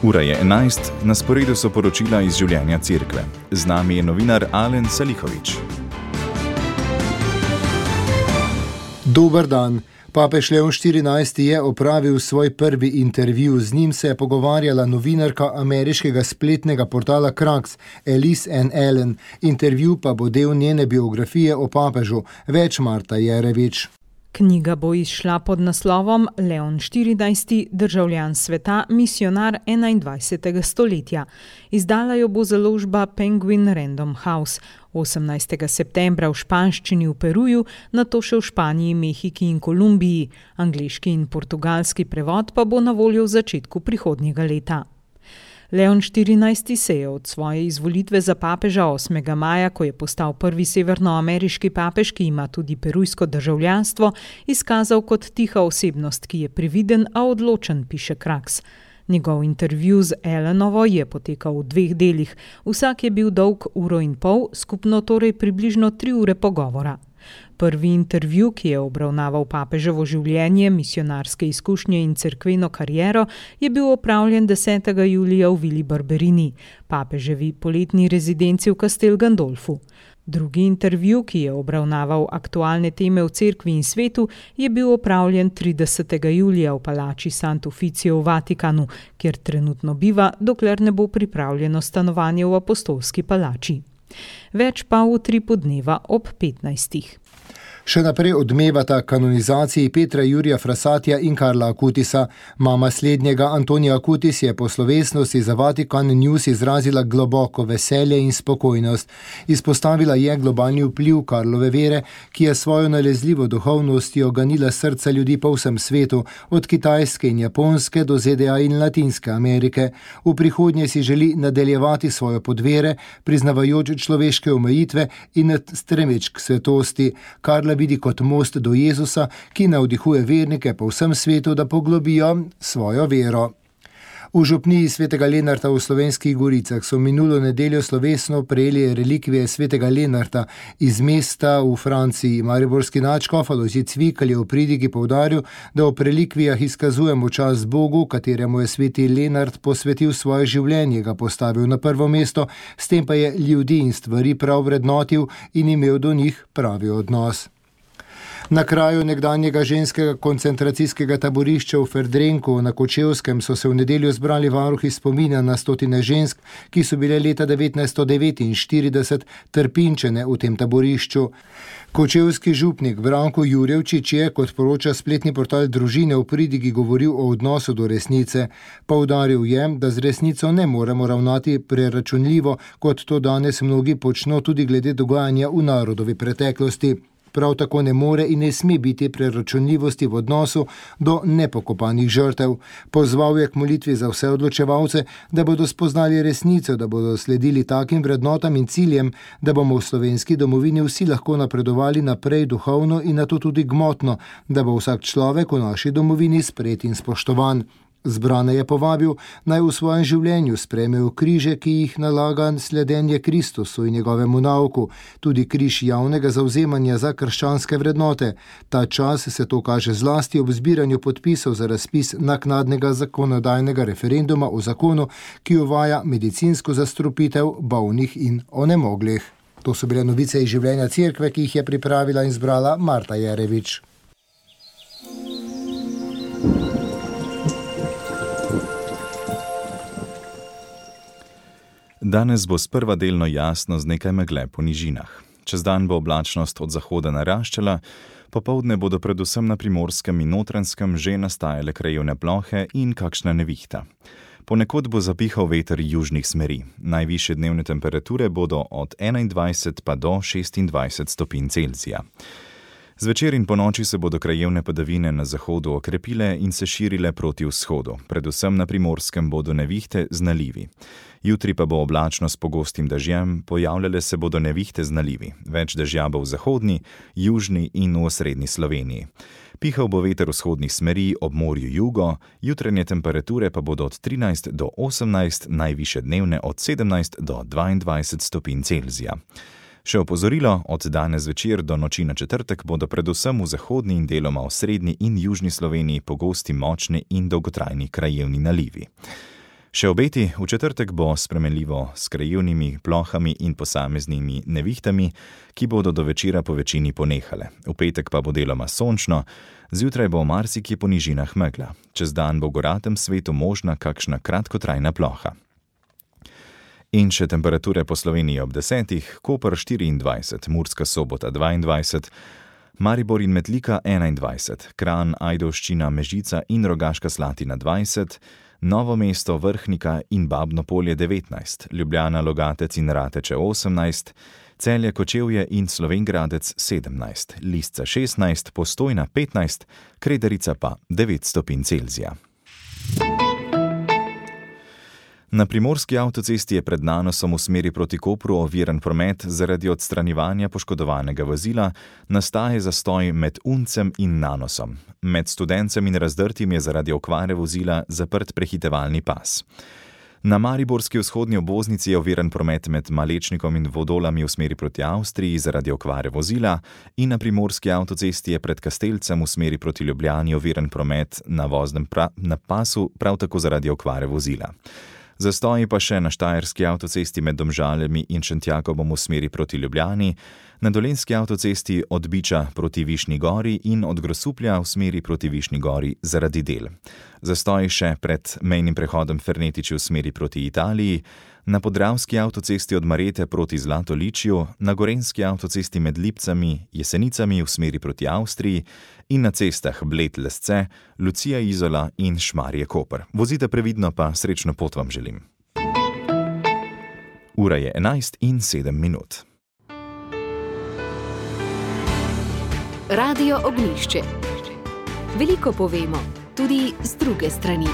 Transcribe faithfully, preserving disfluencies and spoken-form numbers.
Ura je enajst, na sporedu so poročila iz življenja cerkve. Z nami je novinar Alen Salihović. Dober dan. Papež Leon štirinajsti je opravil svoj prvi intervju. Z njim se je pogovarjala novinarka ameriškega spletnega portala Kraks, Elise Ann Allen. Intervju pa bo del njene biografije o papežu. Več Marta Jerevič. Knjiga bo izšla pod naslovom Leon štirinajsti, državljan sveta, misionar enaindvajsetega stoletja. Izdala jo bo založba Penguin Random House. osemnajstega septembra v španščini v Peruju, nato še v Španiji, Mehiki in Kolumbiji. Angleški in portugalski prevod pa bo na voljo v začetku prihodnjega leta. Leon štirinajsti se je od svoje izvolitve za papeža osmega maja, ko je postal prvi severnoameriški papež, ki ima tudi perujsko državljanstvo, izkazal kot tiha osebnost, ki je previden, a odločen, piše Kraks. Njegov intervju z Allenovo je potekal v dveh delih. Vsak je bil dolg uro in pol, skupno torej približno tri ure pogovora. Prvi intervju, ki je obravnaval papeževo življenje, misionarske izkušnje in cerkveno kariero, je bil opravljen desetega julija v Vili Barberini, papeževi poletni rezidenci v Castel Gandolfu. Drugi intervju, ki je obravnaval aktualne teme v cerkvi in svetu, je bil opravljen tridesetega julija v palači Sant'Uficio v Vatikanu, kjer trenutno biva, dokler ne bo pripravljeno stanovanje v apostolski palači. Več pa v utripu dneva ob petnajstih. Še naprej odmevata kanonizaciji Petra Jurija Frassatija in Karla Acutisa. Mama slednjega, Antonija Acutis, je po slovesnosti za Vatikan News izrazila globoko veselje in spokojnost. Izpostavila je globalni vpliv Karlove vere, ki je svojo nalezljivo duhovnostjo ganila srca ljudi po vsem svetu, od Kitajske in Japonske do Z D A in Latinske Amerike. V prihodnje si želi nadaljevati svojo podvere, priznavajoč človeške omejitve in stremeč k svetosti. Karla vidi kot most do Jezusa, ki navdihuje vernike po vsem svetu, da poglobijo svojo vero. V župniji svetega Lenarta v Slovenskih Goricah so minulo nedeljo slovesno prejeli relikvije svetega Lenarta iz mesta v Franciji. Mariborski nadškof Alojzij Cvikl je v pridigi poudaril, da v relikvijah izkazujemo čast Bogu, kateremu je sveti Lenart posvetil svoje življenje, ga postavil na prvo mesto, s tem pa je ljudi in stvari prav vrednotil in imel do njih pravi odnos. Na kraju nekdanjega ženskega koncentracijskega taborišča v Ferdrenku na Kočevskem so se v nedeljo zbrali varuhi spomina na stotine žensk, ki so bile leta devetnajststo devetinštirideset trpinčene v tem taborišču. Kočevski župnik Branko Jurevčič je, kot poroča spletni portal Družine, v pridigi govoril o odnosu do resnice. Poudaril je, da z resnico ne moremo ravnati preračunljivo, kot to danes mnogi počno tudi glede dogajanja v narodovi preteklosti. Prav tako ne more in ne sme biti preračunljivosti v odnosu do nepokopanih žrtev. Pozval je k molitvi za vse odločevalce, da bodo spoznali resnico, da bodo sledili takim vrednotam in ciljem, da bomo v slovenski domovini vsi lahko napredovali naprej duhovno in nato tudi gmotno, da bo vsak človek v naši domovini sprejet in spoštovan. Zbrane je povabil, naj v svojem življenju sprejmejo križe, ki jih nalaga sledenje Kristusu in njegovemu nauku, tudi križ javnega zavzemanja za krščanske vrednote. Ta čas se to kaže zlasti ob zbiranju podpisov za razpis naknadnega zakonodajnega referenduma o zakonu, ki uvaja medicinsko zastrupitev bolnih in onemoglih. To so bile novice iz življenja cerkve, ki jih je pripravila in zbrala Marta Jerevič. Danes bo sprva delno jasno z nekaj megle po nižinah. Čez dan bo oblačnost od zahoda naraščala, popoldne bodo predvsem na Primorskem in Notranjskem že nastajale krajevne plohe in kakšna nevihta. Ponekod bo zapihal veter južnih smeri. Najvišje dnevne temperature bodo od enaindvajset pa do šestindvajset stopinj Celzija. Zvečer in ponoči se bodo krajevne padavine na zahodu okrepile in se širile proti vzhodu. Predvsem na Primorskem bodo nevihte z nalivi. Jutri pa bo oblačno s pogostim dežjem, pojavljale se bodo nevihte z nalivi. Več dežja bo v zahodni, južni in v osrednji Sloveniji. Pihal bo veter vzhodnih smeri ob morju jugo, jutranje temperature pa bodo od trinajst do osemnajst, najvišje dnevne od sedemnajst do dvaindvajset stopinj Celzija. Še opozorilo, od danes zvečer do noči na četrtek bodo predvsem v zahodni in deloma v srednji in južni Sloveniji pogosti močni in dolgotrajni krajevni nalivi. Še obeti, v četrtek bo spremenljivo s krajevnimi plohami in posameznimi nevihtami, ki bodo do večera po večini ponehale. V petek pa bo deloma sončno, zjutraj bo v marsikje po nižinah megla. Čez dan bo v goratem svetu možna kakšna kratkotrajna ploha. In še temperature po Sloveniji ob desetih, Koper štiriindvajset, Murska Sobota dvaindvajset, Maribor in Metlika enaindvajset, Kranj, Ajdovščina, Mežica in Rogaška Slatina dvajset, Novo mesto, Vrhnika in Babno Polje devetnajst, Ljubljana, Logatec in Rateče osemnajst, Celje, Kočevje in Slovenj Gradec sedemnajst, Lisca šestnajst, Postojna petnajst, Kredarica pa devet stopinj Celzija. Na primorski avtocesti je pred Nanosom v smeri proti Kopru oviran promet zaradi odstranjevanja poškodovanega vozila, nastaja zastoj med Uncem in Nanosom. Med Studencem in Razdrtim je zaradi okvare vozila zaprt prehitevalni pas. Na mariborski vzhodni obvoznici je oviran promet med Malečnikom in Vodolami v smeri proti Avstriji zaradi okvare vozila in na primorski avtocesti je pred Kastelcem v smeri proti Ljubljani oviran promet na voznem pra- na pasu prav tako zaradi okvare vozila. Zastoji pa še na štajerski avtocesti med Domžalami in Šentjakovom v smeri proti Ljubljani, na dolenjski avtocesti od Biča proti Višnji Gori in od Grosuplja v smeri proti Višnji Gori zaradi del. Zastoji še pred mejnim prehodom Fernetiči v smeri proti Italiji, na podravski avtocesti od Marete proti Zlatoličju, na gorenjski avtocesti med Lipcami, Jesenicami v smeri proti Avstriji in na cestah Bled-Lesce, Lucija Izola in Šmarje-Koper. Vozite previdno, pa srečno pot vam želim. Ura je enajst in sedem minut. Radio Ognjišče. Veliko povemo, tudi z druge strani.